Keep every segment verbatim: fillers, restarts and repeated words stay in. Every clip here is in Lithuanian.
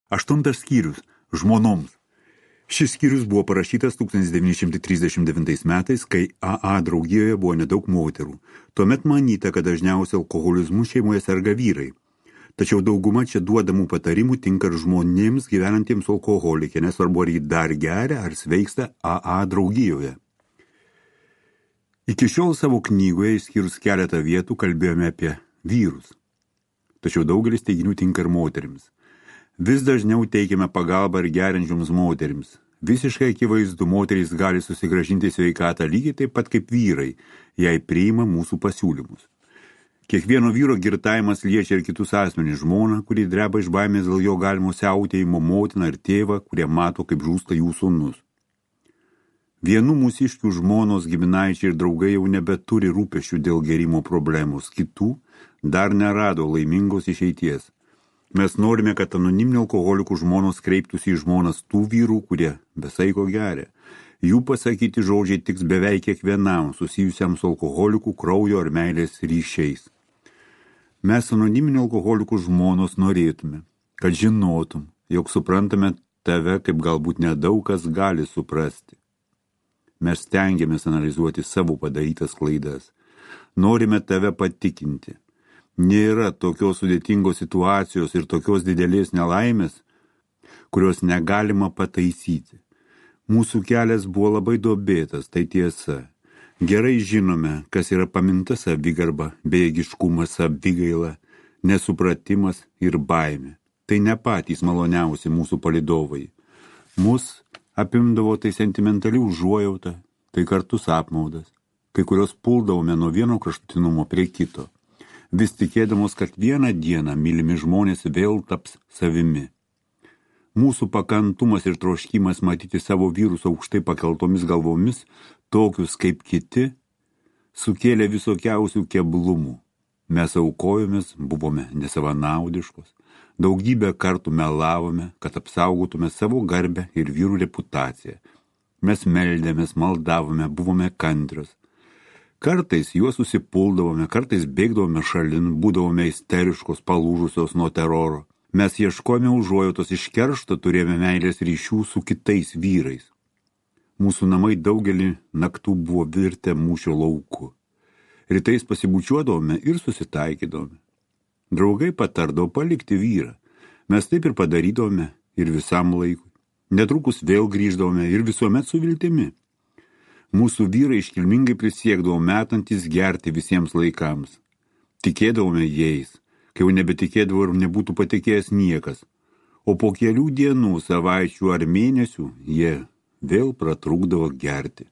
Aštuntas skyrius – žmonoms. Šis skyrius buvo parašytas tūkstantis devyni šimtai trisdešimt devintais metais, kai A A draugijoje buvo nedaug moterų. Tuomet manyta, kad dažniausiai alkoholizmu šeimoje serga vyrai. Tačiau dauguma čia duodamų patarimų tinka ir žmonėms gyvenantiems alkoholikė, nesvarbu ar jį dar geria ar sveiksta A A draugijoje. Iki šiol savo knygoje, išskyrus keletą vietų, kalbėjome apie vyrus. Tačiau daugelis teiginių tinka ir moterims. Vis dažniau teikiame pagalbą ir geriančioms moterims. Visiškai akivaizdu, moterys gali susigrąžinti sveikatą lygiai taip pat kaip vyrai, jei priima mūsų pasiūlymus. Kiekvieno vyro girtavimas liečia ir kitus asmenys, žmoną, kurį dreba iš baimės dėl jo galimo siautėjimo, motiną ir tėvą, kurie mato, kaip žūsta jų sūnus. Vienų mūsiškių žmonos, giminaičiai ir draugai jau nebeturi rūpesčių dėl gerimo problemos, kitų dar nerado laimingos išeities. Mes norime, kad anoniminių alkoholikų žmonos kreiptųsi į žmonas tų vyrų, kurie besaiko geria. Jų pasakyti žodžiai tiks beveik kiekvienam susijusiam su alkoholikų kraujo ar meilės ryšiais. Mes anoniminių alkoholikų žmonos norėtume, kad žinotum, jog suprantame tave, kaip galbūt nedaug kas gali suprasti. Mes stengiamės analizuoti savo padarytas klaidas. Norime tave patikinti. Nėra tokios sudėtingos situacijos ir tokios didelės nelaimės, kurios negalima pataisyti. Mūsų kelias buvo labai duobėtas, tai tiesa. Gerai žinome, kas yra paminta savigarba, bejėgiškumas, savigaila, nesupratimas ir baimė. Tai ne patys maloniausi mūsų palydovai. Mus apimdavo tai sentimentali užuojauta, tai kartus apmaudas, kai kurios puldavome nuo vieno kraštutinumo prie kito. Vis tikėdamos, kad vieną dieną mylimi žmonės vėl taps savimi. Mūsų pakantumas ir troškimas matyti savo vyrus aukštai pakeltomis galvomis, tokius kaip kiti, sukėlė visokiausių keblumų. Mes aukojomės, buvome nesavanaudiškos, daugybę kartų melavome, kad apsaugotume savo garbę ir vyrų reputaciją. Mes meldėmės, maldavome, buvome kantrios. Kartais juos susipuldavome, kartais bėgdavome šalin, būdavome isteriškos, palūžusios nuo teroro. Mes ieškojome užuojautos, iš keršto turėjome meilės ryšių su kitais vyrais. Mūsų namai daugelį naktų buvo virtę mūšio lauku. Rytais pasibučiuodavome ir susitaikydavome. Draugai patardavo palikti vyrą. Mes taip ir padarydavome ir visam laikui. Netrukus vėl grįždavome ir visuomet su viltimi. Mūsų vyrai iškilmingai prisiekdavo metantis gerti visiems laikams. Tikėdavome jais, kai jau nebetikėdavo ir nebūtų patikėjęs niekas. O po kelių dienų, savaičių ar mėnesių jie vėl pratrūkdavo gerti.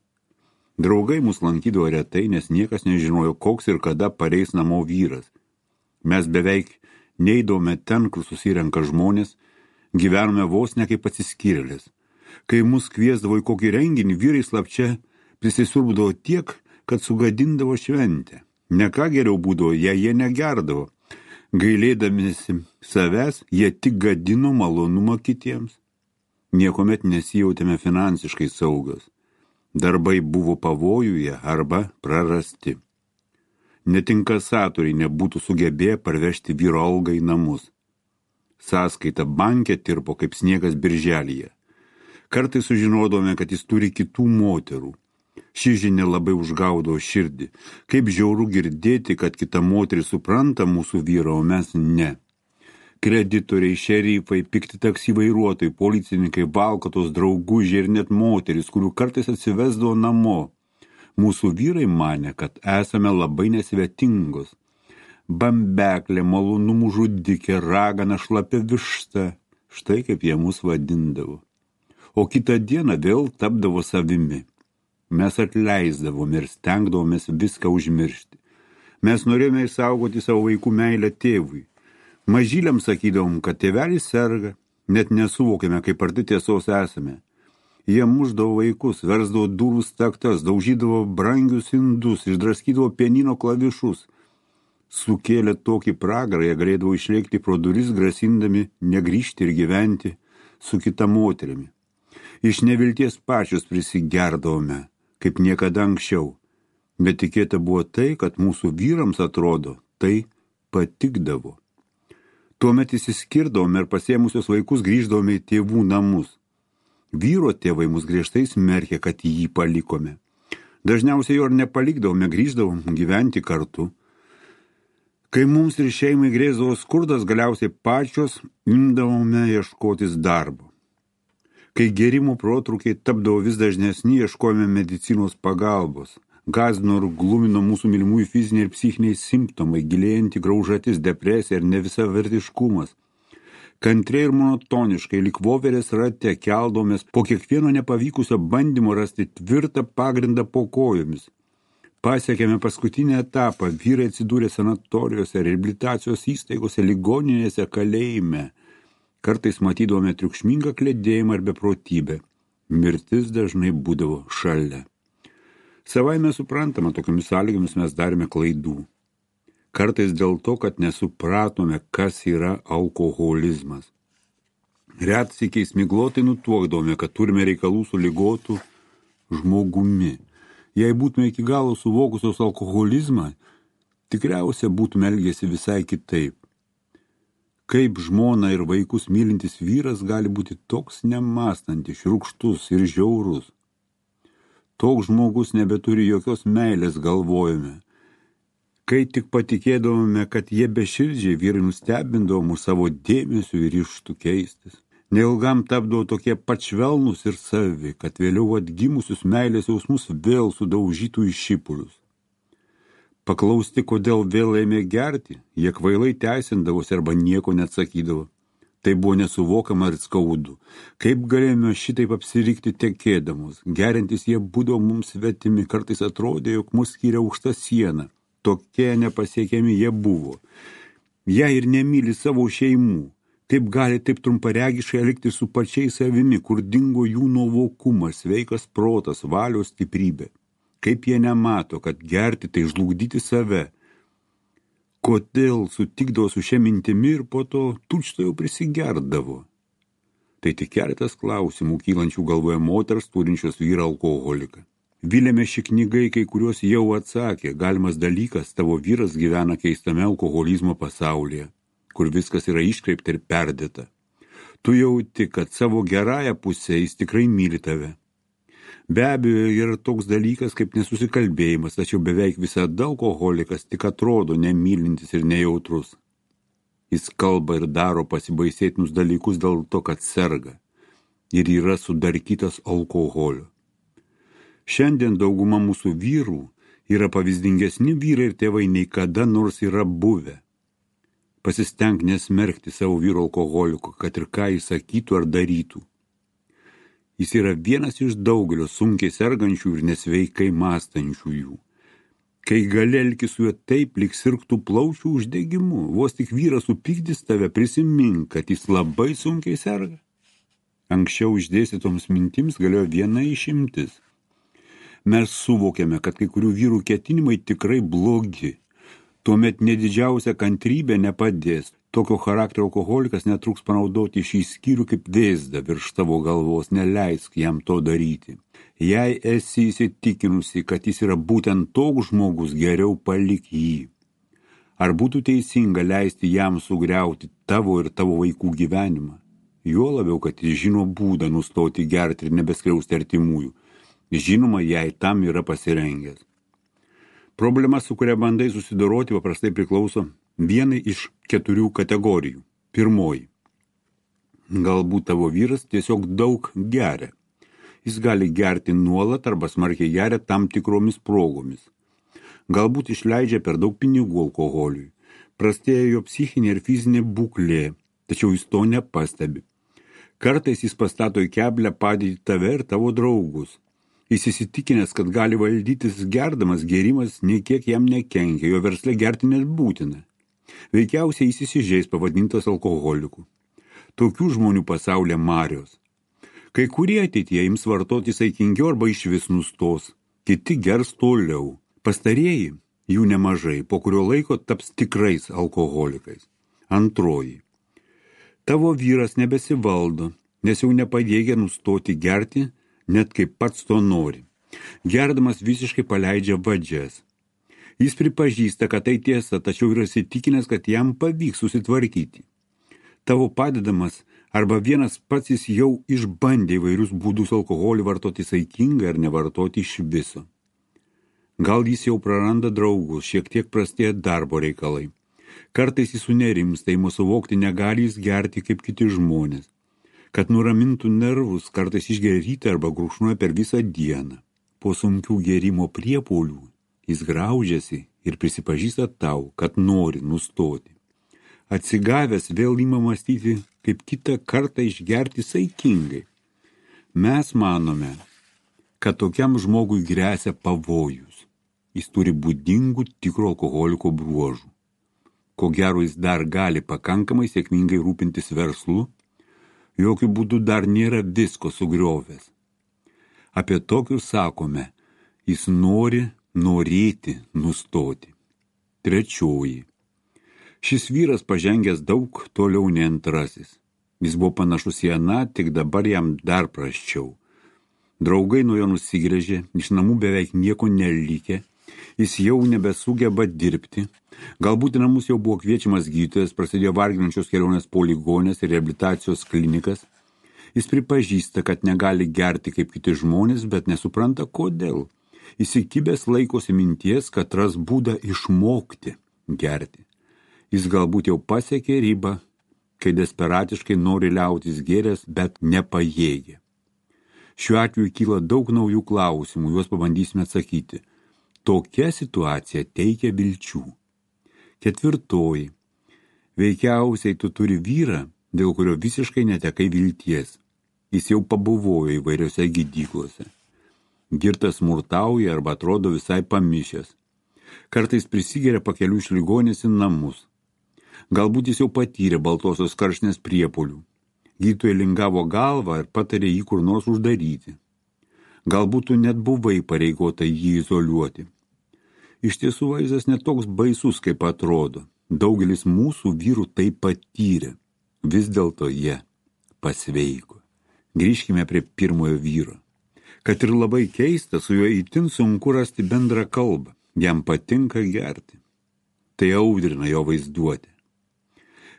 Draugai mus lankydavo retai, nes niekas nežinojo, koks ir kada pareis namo vyras. Mes beveik neidavome ten, kur susirenka žmonės, gyvenome vos ne kaip atsiskyrėlės. Kai mus kviesdavo į kokį renginį, vyrai slapčia prisisiurbdavo tiek, kad sugadindavo šventę. Ne ką geriau būdavo, jei jie negerdavo. Gailėdamiesi savęs, jie tik gadino malonumą kitiems. Niekomet nesijautėme finansiškai saugios. Darbai buvo pavojuje arba prarasti. Netinkasatoriai nebūtų sugebėję parvežti vyro algą į namus. Sąskaita banke tirpo kaip sniegas birželyje. Kartais sužinodome, kad jis turi kitų moterų. Ši žinia labai užgaudo širdį. Kaip žiauru girdėti, kad kita moteris supranta mūsų vyrą, o mes ne. Kreditoriai, šerifai, pikti taksi vairuotojai, policininkai, valkatos, draugužiai ir net moteris, kurių kartais atsivesdavo namo. Mūsų vyrai manė, kad esame labai nesvetingos. Bambeklė, malonumų žudikė, ragana, šlapia višta. Štai kaip jie mus vadindavo. O kitą dieną vėl tapdavo savimi. Mes atleisdavome ir stengdavomės viską užmiršti. Mes norėjome išsaugoti savo vaikų meilę tėvui. Mažyliams sakydavom, kad tėvelis serga, net nesuvokėme, kaip arti tiesos esame. Jie mušdavo vaikus, versdavo durų staktas, daužydavo brangius indus, išdraskydavo pianino klavišus. Sukėlė tokį pragarą, jie galėdavo išlėkti pro duris, grasindami negrįžti ir gyventi su kita moterimi. Iš nevilties pačios prisigerdavome, kaip niekada anksčiau. Bet tikėta buvo tai, kad mūsų vyrams atrodo, tai patikdavo. Tuomet išsiskirdavome ir pasėmusios vaikus grįždavome į tėvų namus. Vyro tėvai mus griežtai smerkė, kad jį palikome. Dažniausiai jo ir nepalikdavome, grįždavom gyventi kartu. Kai mums ir šeimai grėsdavo skurdas, galiausiai pačios imdavome ieškotis darbo. Kai gėrimų protrukiai tapdavo vis dažnesni, ieškojome medicinos pagalbos. Gąsdino ir glumino mūsų mylimųjų fiziniai ir psichiniai simptomai, gilėjanti graužatis, depresija ir nevisavertiškumas. Kantriai ir monotoniškai, lyg voverės rate, keldavomės po kiekvieno nepavykusio bandymo rasti tvirtą pagrindą po kojomis. Pasiekėme paskutinį etapą, vyrai atsidūrė sanatorijose, reabilitacijos įstaigose, ligoninėse, kalėjime. Kartais matydavome triukšmingą kledėjimą ir beprotybę. Mirtis dažnai būdavo šalia. Savaime suprantama, tokiamis sąlygomis mes darėme klaidų. Kartais dėl to, kad nesupratome, kas yra alkoholizmas. Retsykiais miglotai nutuokdavome, kad turime reikalų su ligotu žmogumi. Jei būtume iki galo suvokusios alkoholizmą, tikriausiai būtume elgėsi visai kitaip. Kaip žmona ir vaikus mylintis vyras gali būti toks nemąstantis, šiurkštus ir žiaurus. Toks žmogus nebeturi jokios meilės, galvojame. Kai tik patikėdavome, kad jie beširdžiai, vyrai nustebindavo mus savo dėmesiu ir ryžtu keistis. Neilgam tapdavo tokie pačvelnus ir savi, kad vėliau atgimusius meilės jausmus vėl sudaužytų į šipulius. Paklausti, kodėl vėl ėmė gerti, jie kvailai teisindavosi arba nieko neatsakydavo. Tai buvo nesuvokama ir skaudu. Kaip galėjome šitaip apsirikti tekėdamos? Geriantis jie būdavo mums svetimi, kartais atrodė, jog mus skiria aukšta siena. Tokie nepasiekiami jie buvo. Jie ir nemyli savo šeimų. Kaip gali taip trumparegiškai elgti su pačiais savimi, kur dingo jų nuovokumas, sveikas protas, valios stiprybė. Kaip jie nemato, kad gerti tai žlugdyti save. Kodėl sutikdavo su šia mintimi ir po to tučto jau prisigerdavo? Tai tik keletas klausimų kylančių galvoje moters turinčios vyrą alkoholiką. Vilėme ši knygai, kai kuriuos jau atsakė, galimas dalykas, tavo vyras gyvena keistame alkoholizmo pasaulyje, kur viskas yra iškreipta ir perdėta. Tu jauti, kad savo gerąją pusę jis tikrai myli tave. Be abejo, yra toks dalykas kaip nesusikalbėjimas, tačiau beveik visada alkoholikas tik atrodo nemylintis ir nejautrus. Jis kalba ir daro pasibaisėtinus dalykus dėl to, kad serga ir yra sudarkytas alkoholio. Šiandien dauguma mūsų vyrų yra pavyzdingesni vyrai ir tėvai nei kada nors yra buvę. Pasistenk nesmerkti savo vyro alkoholiko, kad ir ką jis sakytų ar darytų. Jis yra vienas iš daugelio sunkiai sergančių ir nesveikai mąstančiųjų. Kai gali elgtis su juo taip, lyg sirgtų plaučių uždegimu, vos tik vyras supykdys tave, prisimink, kad jis labai sunkiai serga. Anksčiau išdėstytoms mintims galėjo viena išimtis. Mes suvokėme, kad kai kurių vyrų ketinimai tikrai blogi. Tuomet nedidžiausia kantrybė nepadės. Tokio charakterio alkoholikas netruks panaudoti šį skyrių kaip vėzdą virš tavo galvos, neleisk jam to daryti. Jei esi įsitikinusi, kad jis yra būtent toks žmogus, geriau palik jį. Ar būtų teisinga leisti jam sugriauti tavo ir tavo vaikų gyvenimą? Juo labiau, kad jis žino būdą nustoti gerti ir nebeskriausti artimųjų. Žinoma, jei tam yra pasirengęs. Problema, su kuria bandai susidoroti, paprastai priklauso vienai iš keturių kategorijų. Pirmoji. Galbūt tavo vyras tiesiog daug geria. Jis gali gerti nuolat arba smarkiai geria tam tikromis progomis. Galbūt išleidžia per daug pinigų alkoholiui. Prastėja jo psichinė ir fizinė būklė, tačiau jis to nepastebi. Kartais jis pastato į keblę padėti tave ir tavo draugus. Jis įsitikinęs, kad gali valdytis gerdamas, gėrimas nei kiek jam nekenkia, jo versle gerti net būtina. Veikiausiai jis įsižeis pavadintas alkoholiku. Tokių žmonių pasaulyje marios. Kai kurie ateityje ims vartoti saikingiau arba išvis nustos, kiti gers toliau. Pastarieji, jų nemažai, po kurio laiko taps tikrais alkoholikais. Antroji. Tavo vyras nebesivaldo, nes jau nepajėgia nustoti gerti, net kaip pats to nori. Gerdamas visiškai paleidžia vadžias. Jis pripažįsta, kad tai tiesa, tačiau yra įsitikinęs, kad jam pavyks susitvarkyti. tavo padedamas, arba vienas pats jis jau išbandė įvairius būdus alkoholį vartoti saikingai ar nevartoti iš viso. Gal jis jau praranda draugus, šiek tiek prastėja darbo reikalai. Kartais jis sunerimsta, ima suvokti, negali jis gerti kaip kiti žmonės. Kad nuramintų nervus, kartais išgeria rytą arba gurkšnoja per visą dieną. Po sunkių gėrimo priepuolių jis graužiasi ir prisipažįsta tau, kad nori nustoti. Atsigavęs vėl ima mąstyti, kaip kitą kartą išgerti saikingai. Mes manome, kad tokiam žmogui gresia pavojus. Jis turi būdingų tikro alkoholiko bruožų. Ko gero jis dar gali pakankamai sėkmingai rūpintis verslu, jokių būdų dar nėra visko sugriovęs. Apie tokius sakome, jis nori norėti nustoti. Trečioji. Šis vyras pažengęs daug toliau nei antrasis. Jis buvo panašus į aną, tik dabar jam dar prasčiau. Draugai nuo jo nusigręžė, iš namų beveik nieko nelikė, jis jau nebesugeba dirbti. Galbūt į namus jau buvo kviečiamas gydytojas, prasidėjo varginančios kelionės po ligonės ir reabilitacijos klinikas. Jis pripažįsta, kad negali gerti kaip kiti žmonės, bet nesupranta kodėl. Įsikibęs laikosi minties, kad ras būdą išmokti gerti. Jis galbūt jau pasiekė ribą, kai desperatiškai nori liautis gėręs, bet nepajėgia. Šiuo atveju kyla daug naujų klausimų, juos pabandysime atsakyti. Tokia situacija teikia vilčių. Ketvirtoji. Veikiausiai tu turi vyrą, dėl kurio visiškai netekai vilties. Jis jau pabuvojo įvairiose gydyklose. Girtas smurtauja arba atrodo visai pamišęs. Kartais prisigeria pakelių iš ligonės į namus. Galbūt jis jau patyrė baltosios karštinės priepuolių. Gydytojai lingavo galvą ir patarė jį kur nors uždaryti. Galbūt tu net buvai pareigota jį izoliuoti. Iš tiesų vaizdas netoks baisus, kaip atrodo. Daugelis mūsų vyrų tai patyrė. Vis dėlto jie pasveiko. Grįžkime prie pirmojo vyro. Kad ir labai keista, su juo itin sunku rasti bendrą kalbą. Jam patinka gerti. Tai audrina jo vaizduotę.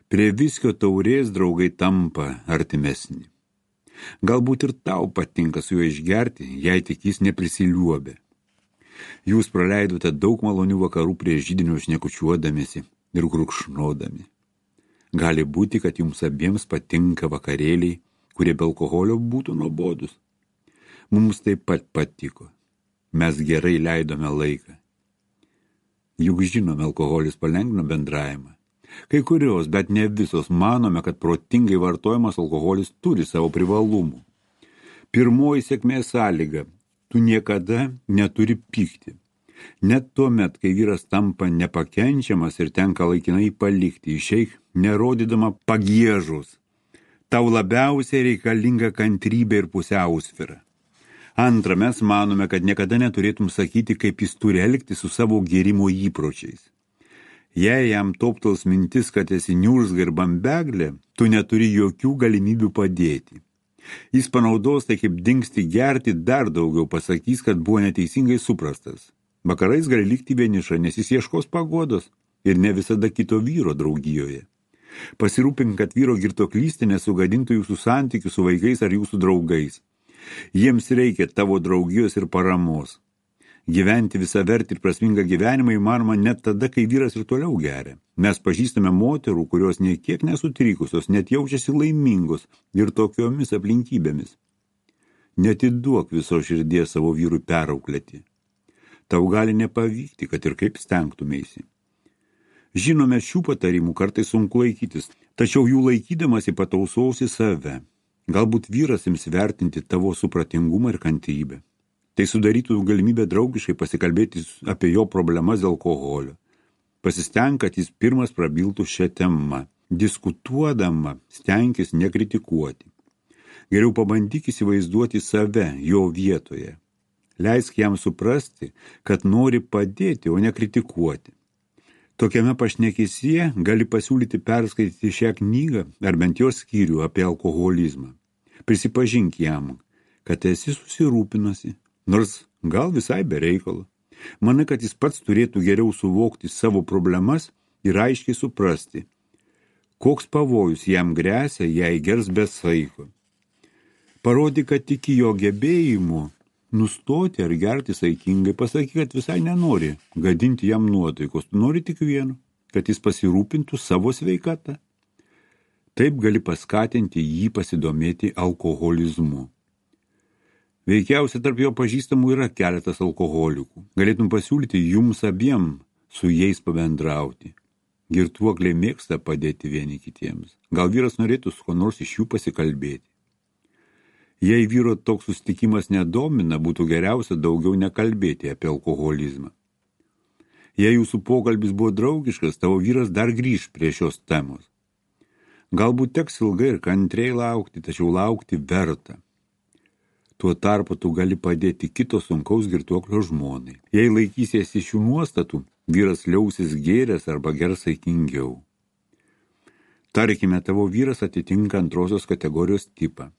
Prie viskio taurės draugai tampa artimesni. Galbūt ir tau patinka su juo išgerti, jei tik jis neprisiliuobė. Jūs praleidote daug malonių vakarų prie židinio šnekučiuodamiesi ir gurkšnodami. Gali būti, kad jums abiems patinka vakarėliai, kurie be alkoholio būtų nuobodus. Mums taip pat patiko. Mes gerai leidome laiką. Juk žinome, alkoholis palengvina bendravimą. Kai kurios, bet ne visos, manome, kad protingai vartojamas alkoholis turi savo privalumų. Pirmoji sėkmės sąlyga. Tu niekada neturi pykti. Net tuomet, kai vyras tampa nepakenčiamas ir tenka laikinai palikti, išeik nerodydama pagiežos. Tau labiausiai reikalinga kantrybė ir pusiausvyra. Antra, mes manome, kad niekada neturėtum sakyti, kaip jis turi elgti su savo gėrimo įpročiais. Jei jam toptels mintis, kad esi niurzga ir bambeglė, tu neturi jokių galimybių padėti. Jis panaudos tai kaip dingsti gerti, dar daugiau pasakys, kad buvo neteisingai suprastas. Vakarais gali likti vieniša, nes jis ieškos paguodos ir ne visada kito vyro draugijoje. Pasirūpink, kad vyro girtuoklystė nesugadintų jūsų santykių su vaikais ar jūsų draugais. Jiems reikia tavo draugijos ir paramos. Gyventi visavertį ir prasmingą gyvenimą įmanoma net tada, kai vyras ir toliau geria. Mes pažįstame moterų, kurios nei kiek nesutrikusios, net jaučiasi laimingos ir tokiomis aplinkybėmis. Netiduok viso širdies savo vyrui perauklėti. Tau gali nepavykti, kad ir kaip stengtumėsi. Žinome, šių patarimų kartais sunku laikytis, tačiau jų laikydamasi patausausi save. Galbūt vyras ims vertinti tavo supratingumą ir kantrybę. Tai sudarytų galimybę draugiškai pasikalbėti apie jo problemas dėl alkoholio. Pasistenk, kad jis pirmas prabiltų šią temą. Diskutuodama, stenkis nekritikuoti. Geriau pabandyk įsivaizduoti save jo vietoje. Leisk jam suprasti, kad nori padėti, o ne kritikuoti. Tokiame pašnekesyje gali pasiūlyti perskaityti šią knygą ar bent jos skyrių apie alkoholizmą. Prisipažink jam, kad esi susirūpinusi, nors gal visai be reikalo. Manai, kad jis pats turėtų geriau suvokti savo problemas ir aiškiai suprasti, Koks pavojus jam gresia, jei gers be saiko. Parodyk, kad tiki jo gebėjimu nustoti ar gerti saikingai, pasakyk, kad visai nenori gadinti jam nuotaikos, tu nori tik vieno, kad jis pasirūpintų savo sveikatą. Taip gali paskatinti jį pasidomėti alkoholizmu. Veikiausiai tarp jo pažįstamų yra keletas alkoholikų. Galėtum pasiūlyti jums abiem su jais pabendrauti. Girtuokliai mėgsta padėti vieni kitiems. Gal vyras norėtų su ko nors iš jų pasikalbėti. Jei vyro toks susitikimas nedomina, būtų geriausia daugiau nekalbėti apie alkoholizmą. Jei jūsų pokalbis buvo draugiškas, tavo vyras dar grįš prie šios temos. Galbūt teks ilgai ir kantriai laukti, tačiau laukti verta. Tuo tarpu tu gali padėti kito sunkaus girtuoklio žmonai. Jei laikysiesi šių nuostatų, vyras liausis gėręs arba gers saikingiau. Tarkime, tavo vyras atitinka antrosios kategorijos tipą.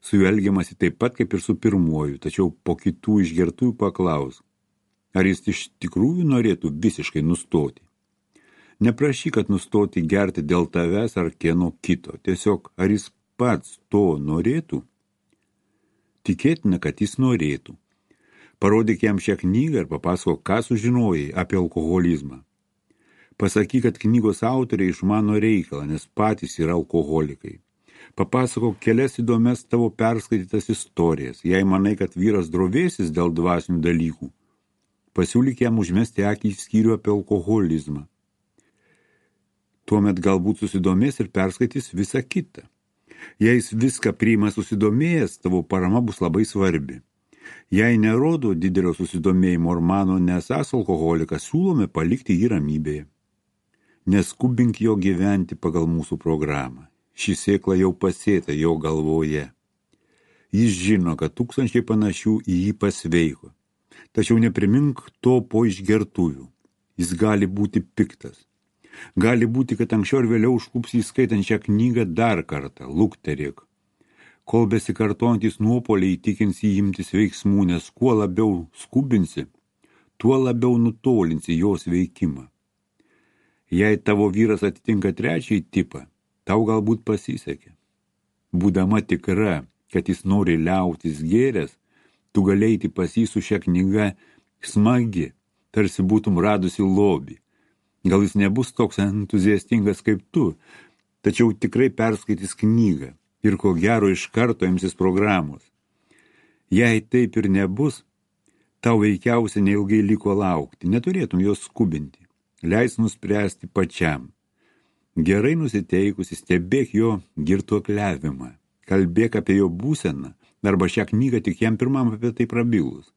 Su juo elgiamasi taip pat kaip ir su pirmuoju, tačiau po kitų išgertųjų paklaus, ar jis iš tikrųjų norėtų visiškai nustoti. Neprašyk, kad nustoti gerti dėl tavęs ar kieno kito, tiesiog ar jis pats to norėtų? Tikėtina, kad jis norėtų. Parodyk jam šią knygą ir papasakok, ką sužinojai apie alkoholizmą. Pasakyk, kad knygos autoriai išmano reikalą, nes patys yra alkoholikai. Papasakok kelias įdomias tavo perskaitytas istorijas, jei manai, kad vyras drovėsis dėl dvasinių dalykų. Pasiūlyk jam užmesti akį į skyrių apie alkoholizmą. Tuomet galbūt susidomės ir perskaitys visą kitą. Jei jis viską priima susidomėjęs, tavo parama bus labai svarbi. Jei nerodo didelio susidomėjimo ir mano nesąs alkoholikas, siūlome palikti jį ramybėje. Neskubink jo gyventi pagal mūsų programą. Ši sėkla jau pasėta jo galvoje. Jis žino, kad tūkstančiai panašių į jį pasveiko. Tačiau neprimink to po išgertuvių. Jis gali būti piktas. Gali būti, kad anksčiau ir vėliau užklups jį skaitant šią knygą dar kartą, lukterėk. Kol besikartojantys nuopoliai įtikins jį imtis veiksmų, nes kuo labiau skubinsi, tuo labiau nutolinsi jos veikimą. Jei tavo vyras atitinka trečiąjį tipą, tau galbūt pasisekė. Būdama tikra, kad jis nori liautis gėręs, tu galėjai pas jį su šia knyga smagi, tarsi būtum radusi lobį. Gal jis nebus toks entuziastingas kaip tu, tačiau tikrai perskaitys knygą ir ko gero iš karto imsis programos. Jei taip ir nebus, tau veikiausiai neilgai liko laukti, neturėtum jos skubinti, leis nuspręsti pačiam. Gerai nusiteikusi stebėk jo girtuokliavimą, kalbėk apie jo būseną, arba šią knygą tik jam pirmam apie tai prabilus.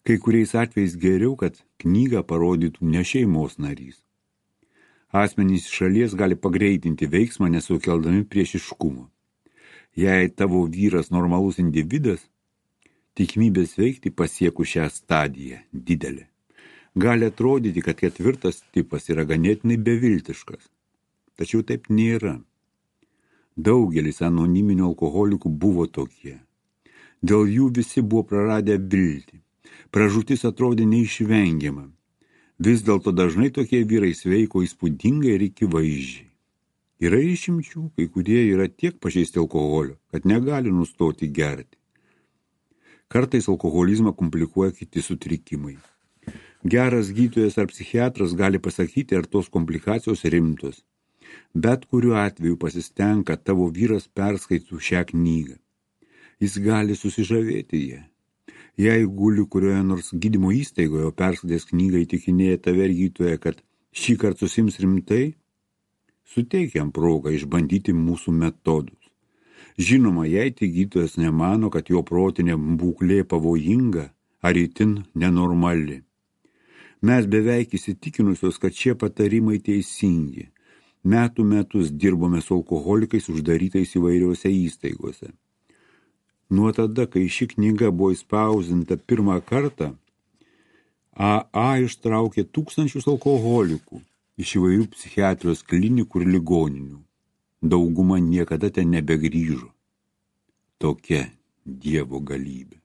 Kai kuriais atvejais geriau, kad knygą parodytų ne šeimos narys. Asmenys šalies gali pagreitinti veiksmą, nesukeldami priešiškumo. Jei tavo vyras normalus individas, tikimybė sveikti pasiekus šią stadiją didelė. Gali atrodyti, kad ketvirtas tipas yra ganėtinai beviltiškas. Tačiau taip nėra. Daugelis anoniminių alkoholikų buvo tokie. Dėl jų visi buvo praradę viltį. Pražūtis atrodė neišvengiama. Vis dėlto dažnai tokie vyrai sveiko įspūdingai ir akivaizdžiai. Yra išimčių, kai kurie yra tiek pažeisti alkoholio, kad negali nustoti gerti. Kartais alkoholizmą komplikuoja kiti sutrikimai. Geras gydytojas ar psichiatras gali pasakyti, ar tos komplikacijos rimtos. Bet kuriuo atveju pasistenk, kad tavo vyras perskaitų šią knygą. Jis gali susižavėti ją. Jei guli kurioje nors gydymo įstaigoje, o perskaitęs knygą įtikinėja tave ir gydytoja, kad šį kartą susims rimtai, suteik jam progą išbandyti mūsų metodus. Žinoma, jei tik gydytojas nemano, kad jo protinė būklė pavojinga ar itin nenormali. Mes beveik įsitikinusios, kad šie patarimai teisingi. Metų metus dirbome su alkoholikais uždarytais įvairiose įstaigose. Nuo tada, kai ši knyga buvo įspausdinta pirmą kartą, A A ištraukė tūkstančius alkoholikų iš įvairių psichiatrijos klinikų ir ligoninių. Dauguma niekada ten nebegrįžo. Tokia Dievo galybė.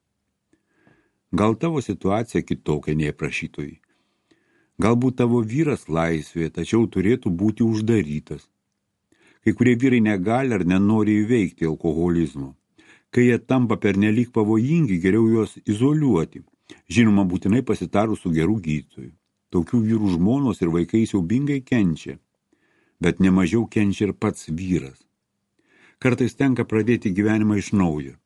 Gal tavo situacija kitokia nei prašytojai. Galbūt tavo vyras laisvėje, tačiau turėtų būti uždarytas. Kai kurie vyrai negali ar nenori įveikti alkoholizmo. Kai jie tampa pernelyg pavojingi, geriau juos izoliuoti. Žinoma, būtinai pasitarus su geru gydytoju. Tokių vyrų žmonos ir vaikai siaubingai kenčia, bet nemažiau kenčia ir pats vyras. Kartais tenka pradėti gyvenimą iš naujo.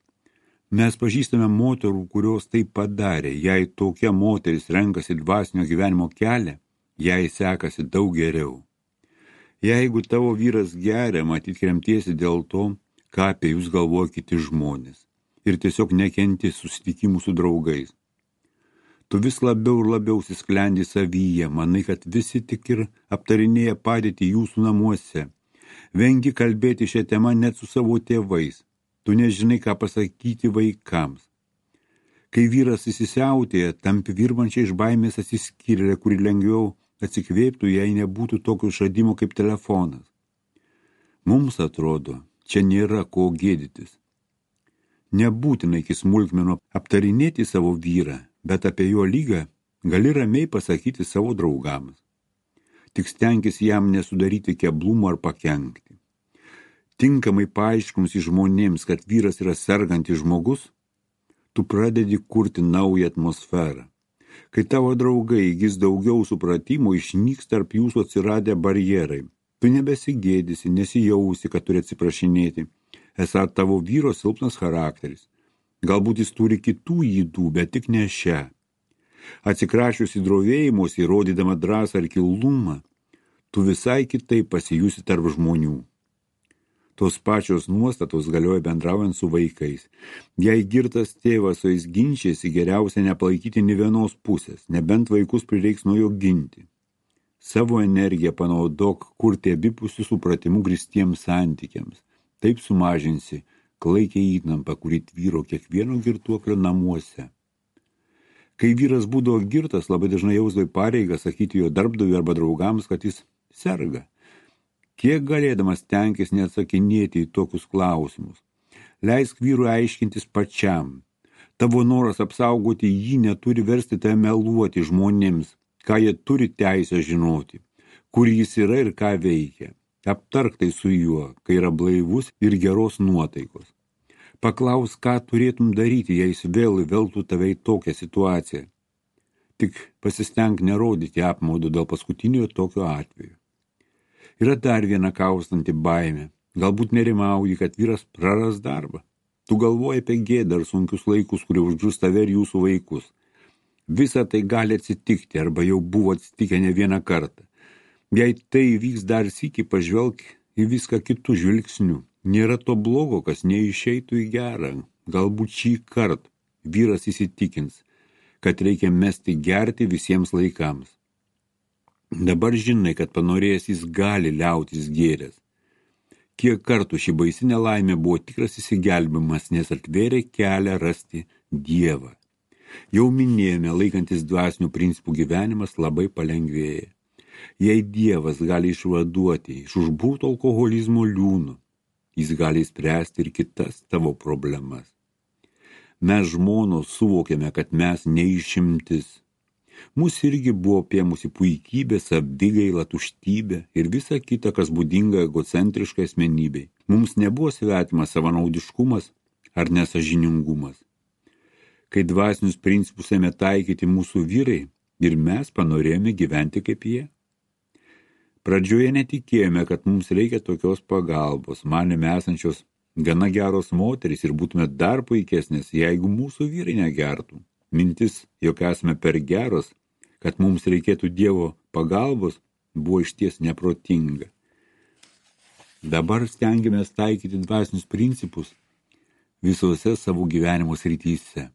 Mes pažįstame moterų, kurios tai padarė. Jei tokia moteris renkasi dvasinio gyvenimo kelią, jai sekasi daug geriau. Jeigu tavo vyras geria, matyt kremtiesi dėl to, ką apie jūs galvoja kiti žmonės. Ir tiesiog nekenti susitikimų su draugais. Tu vis labiau ir labiau sisklendi savyje, manai, kad visi tik ir aptarinėja padėtį jūsų namuose. Vengi kalbėti šią temą net su savo tėvais. Tu nežinai, ką pasakyti vaikams. Kai vyras įsisiautėja, tampi virvančiai iš baimės atsiskyrėlė, kuri lengviau atsikvėptų, jei nebūtų tokio išradimo kaip telefonas. Mums atrodo, čia nėra ko gėdytis. Nebūtina iki smulkmenų aptarinėti savo vyrą, bet apie jo lygą gali ramiai pasakyti savo draugams. Tik stenkis jam nesudaryti keblumų ar pakenkti. Tinkamai paaiškins žmonėms, kad vyras yra sergantis žmogus, tu pradedi kurti naują atmosferą. Kai tavo draugai įgis daugiau supratimo, išnyks tarp jūsų atsiradę barjerai. Tu nebesigėdysi, nesijausi, kad turi atsiprašinėti. Esą tavo vyro silpnas charakteris. Galbūt jis turi kitų ydų, bet tik ne šią. Atsikrašiusi drovėjimuose, įrodydama drąsą ar kilnumą, tu visai kitaip pasijusi tarp žmonių. Tos pačios nuostatos galioja bendraujant su vaikais. Jei girtas tėvas su jais ginčiasi, geriausia nepalaikyti nė vienos pusės, nebent vaikus prireiks nuo jo ginti. Savo energiją panaudok kurti abipusių supratimų grįstiems santykiams. Taip sumažinsi klaikiai įtampą, kuri tvyro kiekvieno girtuoklio namuose. Kai vyras būdavo girtas, labai dažnai jausdavo pareigą sakyti jo darbdaviui arba draugams, kad jis serga. Kiek galėdamas tenkis neatsakinėti į tokius klausimus. Leisk vyrui aiškintis pačiam. Tavo noras apsaugoti jį neturi versti tave meluoti žmonėms, ką jie turi teisę žinoti, kur jis yra ir ką veikia. Aptark tai su juo, kai yra blaivus ir geros nuotaikos. Paklaus, ką turėtum daryti, jei jis vėl įveltų tave į tokią situaciją. Tik pasistenk nerodyti apmaudo dėl paskutinio tokio atveju. Yra dar viena kaustanti baimė. Galbūt nerimauji, kad vyras praras darbą. Tu galvoji apie gėdą ar sunkius laikus, kurie užgrūs tave ir jūsų vaikus. Visa tai gali atsitikti arba jau buvo atsitikę ne vieną kartą. Jei tai vyks dar sykį, pažvelk į viską kitų žvilgsnių. Nėra to blogo, kas neišeitų į gerą. Galbūt šį kartą vyras įsitikins, kad reikia mesti gerti visiems laikams. Dabar žinai, kad panorėjęs jis gali liautis gėręs. Kiek kartų ši baisi nelaimė buvo tikras įsigelbimas, nes atvėrė kelią rasti Dievą. Jau minėjome, laikantis dvasinių principų gyvenimas labai palengvėja. Jei Dievas gali išvaduoti iš užburto alkoholizmo liūno, jis gali spręsti ir kitas tavo problemas. Mes žmonos suvokėme, kad mes neišimtis. Mūsų irgi buvo apėmusi puikybė, savigaila, tuštybė ir visa kita, kas būdinga egocentriškai asmenybei. Mums nebuvo svetimas savanaudiškumas ar nesažiningumas. Kai dvasinius principus ėmė taikyti mūsų vyrai, ir mes panorėjome gyventi kaip jie. Pradžioje netikėjome, kad mums reikia tokios pagalbos, manėme esančios gana geros moterys ir būtume dar puikesnės, jeigu mūsų vyrai negertų. Mintis, jog esame per geros, kad mums reikėtų Dievo pagalbos, buvo išties neprotinga. Dabar stengiamės taikyti dvasinius principus visose savo gyvenimo srityse.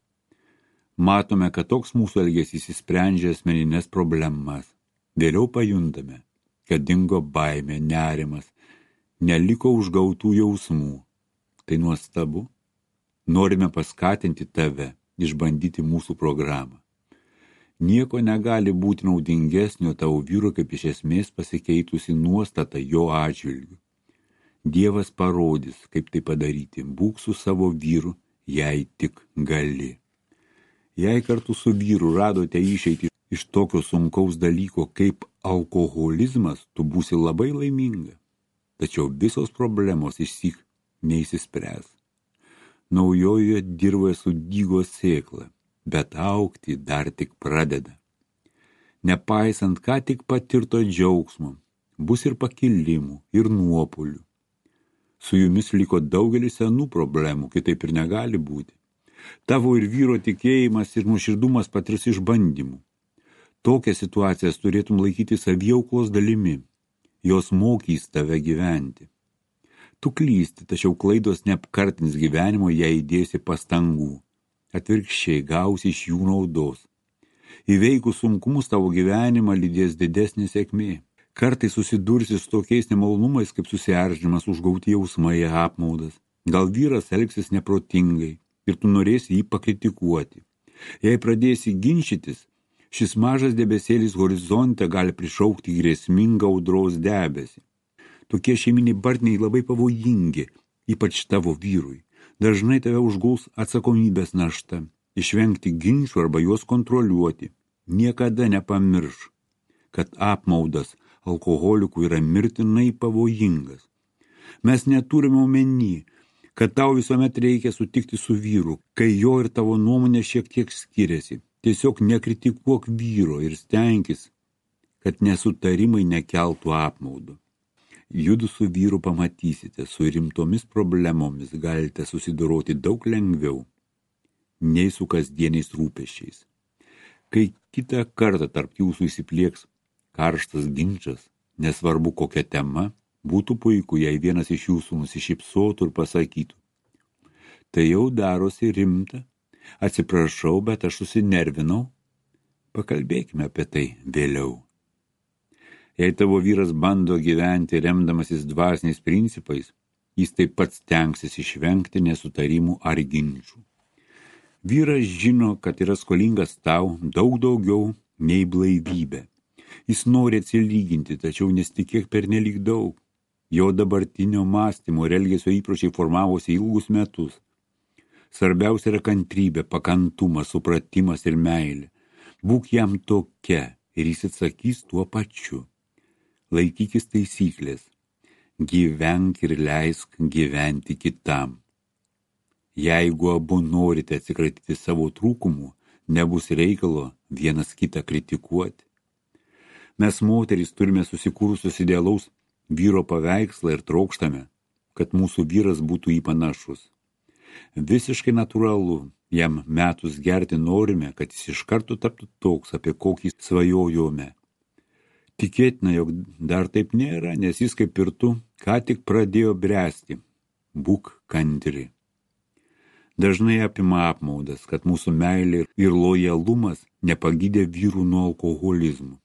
Matome, kad toks mūsų elgesys išsprendžia asmeninės problemas. Vėliau pajuntame, kad dingo baimė, nerimas, neliko užgautų jausmų. Tai nuostabu. Norime paskatinti tave išbandyti mūsų programą. Nieko negali būti naudingesnio tavo vyro kaip iš esmės pasikeitusi nuostata jo atžvilgiu. Dievas parodys, kaip tai padaryti. Būk su savo vyru, jei tik gali. Jei kartu su vyru radote išeitį iš tokio sunkaus dalyko kaip alkoholizmas, tu būsi labai laiminga. tačiau visos problemos išsyk neįsispręs. Naujojoje dirvoje sudygo sėkla, bet augti dar tik pradeda. Nepaisant ką tik patirto džiaugsmo, bus ir pakilimų, ir nuopuolių. Su jumis liko daugelis senų problemų, kitaip ir negali būti. Tavo ir vyro tikėjimas ir nuoširdumas patirs išbandymų. Tokias situacijas turėtum laikyti saviauklos dalimi. Jos mokys tave gyventi. Tu klysti, tačiau klaidos neapkartins gyvenimo, jei įdėsi pastangų. Atvirkščiai gausi iš jų naudos. Įveikus sunkumus tavo gyvenimą lydės didesnė sėkmė. Kartais susidursi su tokiais nemalonumais, kaip susierzinimas, užgauti jausmai, apmaudas. Gal vyras elgsis neprotingai ir tu norėsi jį pakritikuoti. Jei pradėsi ginčytis, šis mažas debesėlis horizonte gali prišaukti grėsmingą audros debesį. Tokie šeiminiai bartniai labai pavojingi, ypač tavo vyrui. Dažnai tave užgaus atsakomybės našta, išvengti ginčių arba juos kontroliuoti. Niekada nepamirš, kad apmaudas alkoholikų yra mirtinai pavojingas. Mes neturime omeny, kad tau visuomet reikia sutikti su vyru, kai jo ir tavo nuomonė šiek tiek skiriasi. Tiesiog nekritikuok vyro ir stenkis, kad nesutarimai nekeltų apmaudo. Judu su vyru pamatysite, su rimtomis problemomis galite susidoroti daug lengviau, nei su kasdieniais rūpesčiais. Kai kitą kartą tarp jūsų įsiplieks karštas ginčas, nesvarbu kokia tema, būtų puiku, jei vienas iš jūsų nusišypsotų ir pasakytų: tai jau darosi rimta, atsiprašau, bet aš susinervinau, pakalbėkime apie tai vėliau. Jei tavo vyras bando gyventi remdamasis dvasiniais principais, jis taip pat stengsis išvengti nesutarimų ar ginčių. Vyras žino, kad yra skolingas tau daug daugiau nei blaivybė. Jis nori atsilyginti, tačiau nesitikėk pernelyg daug. Jo dabartinio mąstymo ir elgesio įpročiai formavosi ilgus metus. Svarbiausia yra kantrybė, pakantumas, supratimas ir meilė. Būk jam tokia ir jis atsakys tuo pačiu. Laikykis taisyklės. Gyvenk ir leisk gyventi kitam. Jeigu abu norite atsikratyti savo trūkumų, nebus reikalo vienas kitą kritikuoti. Mes moterys turime susikūrusios idealaus vyro paveikslą ir trokštame, kad mūsų vyras būtų į panašus. Visiškai natūralu, jam metus gerti norime, kad jis iš karto taptų toks, apie kokį svajojome. Tikėtina, jog dar taip nėra, nes jis kaip ir tu ką tik pradėjo bręsti. Būk kantri. Dažnai apima apmaudas, kad mūsų meilė ir lojalumas nepagydė vyrų nuo alkoholizmų.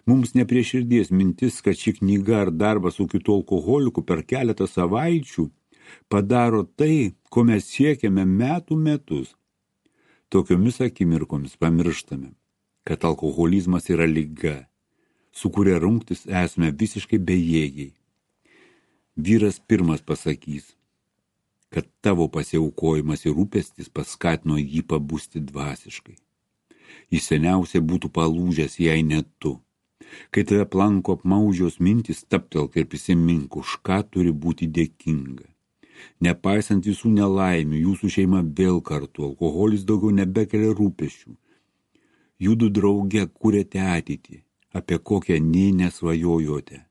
Mums ne prie širdies mintis, kad ši knyga ar darbas su kitu alkoholiku per keletą savaičių padaro tai, ko mes siekiame metų metus. Tokiomis akimirkomis pamirštame, kad alkoholizmas yra liga, su kuria rungtis esame visiškai bejėgiai. Vyras pirmas pasakys, kad tavo pasiaukojimas ir rūpestis paskatino jį pabusti dvasiškai. Jis seniausiai būtų palūžęs, jei ne tu. Kai tave planko apmaužios mintys, stabtelk ir prisimink, už ką turi būti dėkinga. Nepaisant visų nelaimių, jūsų šeima vėl kartu, alkoholis daugiau nebekelia rūpesčių. Judu drauge kuriate ateitį, apie kokią nei nesvajojote.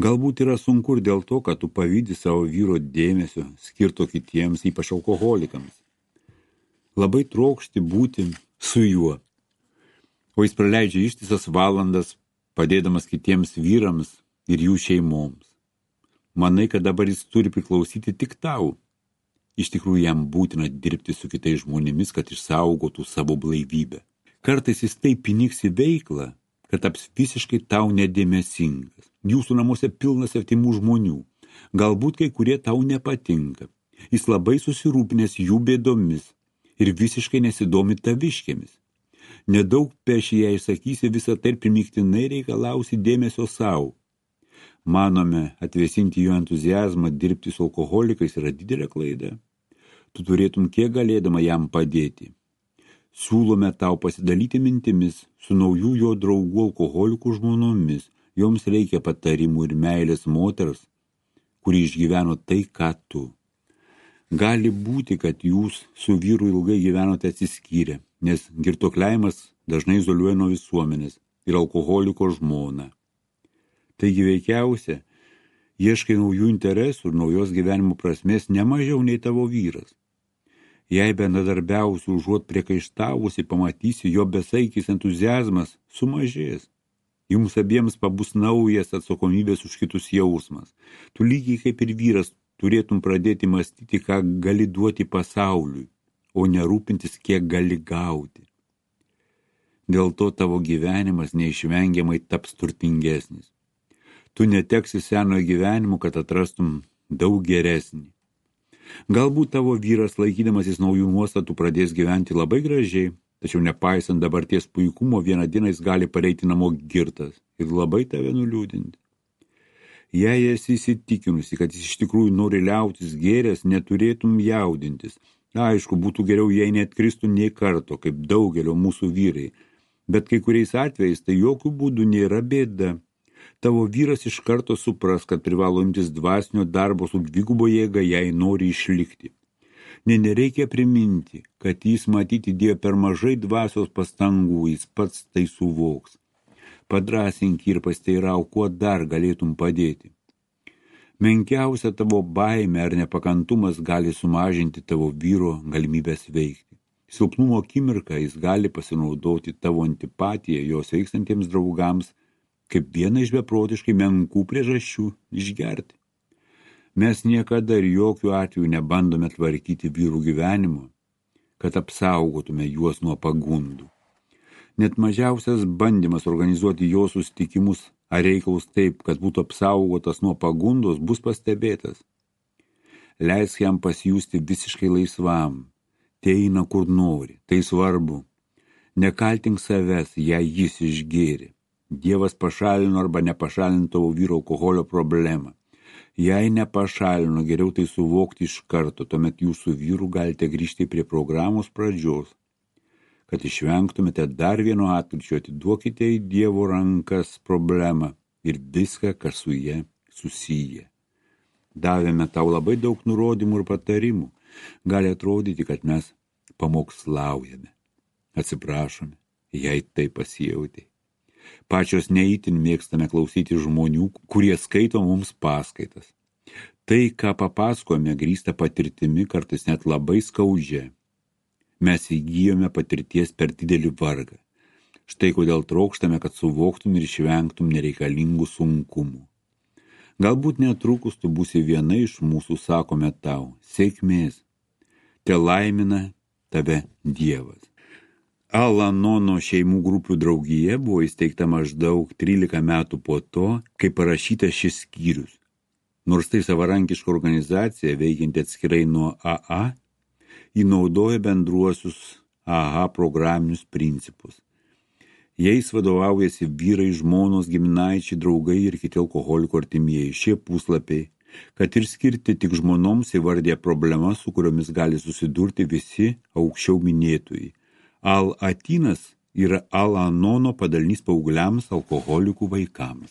Galbūt yra sunku ir dėl to, kad tu pavydi savo vyro dėmesio skirto kitiems, ypač alkoholikams. Labai trokšti būti su juo, o jis praleidžia ištisas valandas, padėdamas kitiems vyrams ir jų šeimoms. Manai, kad dabar jis turi priklausyti tik tau. Iš tikrųjų, jam būtina dirbti su kitais žmonėmis, kad išsaugotų savo blaivybę. Kartais jis taip įniks į veiklą, kad taps visiškai tau nedėmesingas. Jūsų namuose pilnas artimų žmonių. Galbūt kai kurie tau nepatinka. Jis labai susirūpinęs jų bėdomis ir visiškai nesidomi taviškėmis. Nedaug peši, jei išsakysi visą tai ir primygtinai reikalausi dėmesio savo. Manome, atvėsinti jo entuziazmą dirbti su alkoholikais yra didelė klaida. Tu turėtum kiek galėdama jam padėti. Siūlome tau pasidalyti mintimis su naujų jo draugų alkoholikų žmonomis. Joms reikia patarimų ir meilės moters, kuri išgyveno tai, ką tu. Gali būti, kad jūs su vyru ilgai gyvenote atsiskyrę, nes girtuokliavimas dažnai izoliuoja nuo visuomenės ir alkoholiko žmoną. Taigi veikiausia, ieškai naujų interesų ir naujos gyvenimo prasmės ne mažiau nei tavo vyras. Jei bendradarbiausi užuot priekaištavusi, pamatysi, jo besaikis entuziazmas sumažės. Jums abiems pabus naujas atsakomybės už kitus jausmas. Tu lygiai kaip ir vyras turėtum pradėti mąstyti, ką gali duoti pasauliui, o nerūpintis, kiek gali gauti. Dėl to tavo gyvenimas neišvengiamai taps turtingesnis. Tu neteksi senojo gyvenimo, kad atrastum daug geresnį. Galbūt tavo vyras, laikydamasis naujų nuostatų, pradės gyventi labai gražiai, tačiau nepaisant dabarties puikumo, vieną dieną jis gali pareiti namo girtas ir labai tave nuliūdinti. Jei esi įsitikinusi, kad jis iš tikrųjų nori liautis gėręs, neturėtum jaudintis. Aišku, būtų geriau, jei neatkristų nei karto, kaip daugelio mūsų vyrai, bet kai kuriais atvejais tai jokių būdų nėra bėda. Tavo vyras iš karto supras, kad privalo imtis dvasinio darbo su dvigubo jėga, jei nori išlikti. Ne, nereikia priminti, kad jis matyti Dievą per mažai dvasios pastangų, jis pats tai suvoks. Padrasink ir pasteirau, kuo dar galėtum padėti. Menkiausia tavo baimė ar nepakantumas gali sumažinti tavo vyro galimybės veikti. Silpnumo akimirką jis gali pasinaudoti tavo antipatiją jo sveikstantiems draugams kaip vieną iš beprotiškai menkų priežasčių išgerti. Mes niekada ir jokių atvejų nebandome tvarkyti vyrų gyvenimo, kad apsaugotume juos nuo pagundų. Net mažiausias bandymas organizuoti jo susitikimus ar reikalus taip, kad būtų apsaugotas nuo pagundos, bus pastebėtas. Leisk jam pasijusti visiškai laisvam, tai eina kur nori, tai svarbu. Nekaltink savęs, jei jis išgėrė. Dievas pašalino arba nepašalino tavo vyro alkoholio problemą. Jei nepašalino, geriau tai suvokti iš karto, tuomet jūsų vyrų galite grįžti prie programos pradžios. Kad išvengtumėte dar vieno atkryčio, atiduokite į Dievo rankas problemą ir viską, kas su jie susiję. Davėme tau labai daug nurodymų ir patarimų. Gali atrodyti, kad mes pamokslaujame. Atsiprašome, jei tai pasijautė. Pačios neįtin mėgstame klausyti žmonių, kurie skaito mums paskaitas. Tai, ką papasakojame, grįsta patirtimi, kartais net labai skaudžia. Mes įgyjome patirties per didelį vargą. Štai kodėl trokštame, kad suvoktum ir išvengtum nereikalingų sunkumų. Galbūt netrukus tu būsi viena iš mūsų, sakome tau, sėkmės. Te laimina tave Dievas. Al-Anono šeimų grupių draugija buvo įsteigta maždaug trylika metų po to, kai parašytas šis skyrius. Nors tai savarankiška organizacija, veikianti atskirai nuo A A, ji naudoja bendruosius A A programinius principus. Jais vadovaujasi vyrai, žmonos, giminaičiai, draugai ir kiti alkoholikų artimieji. Šie puslapiai, kad ir skirti tik žmonoms, įvardė problemas, su kuriomis gali susidurti visi aukščiau minėtojai. Al-Atinas yra Al-Anono padalinys paaugliams alkoholikų vaikams.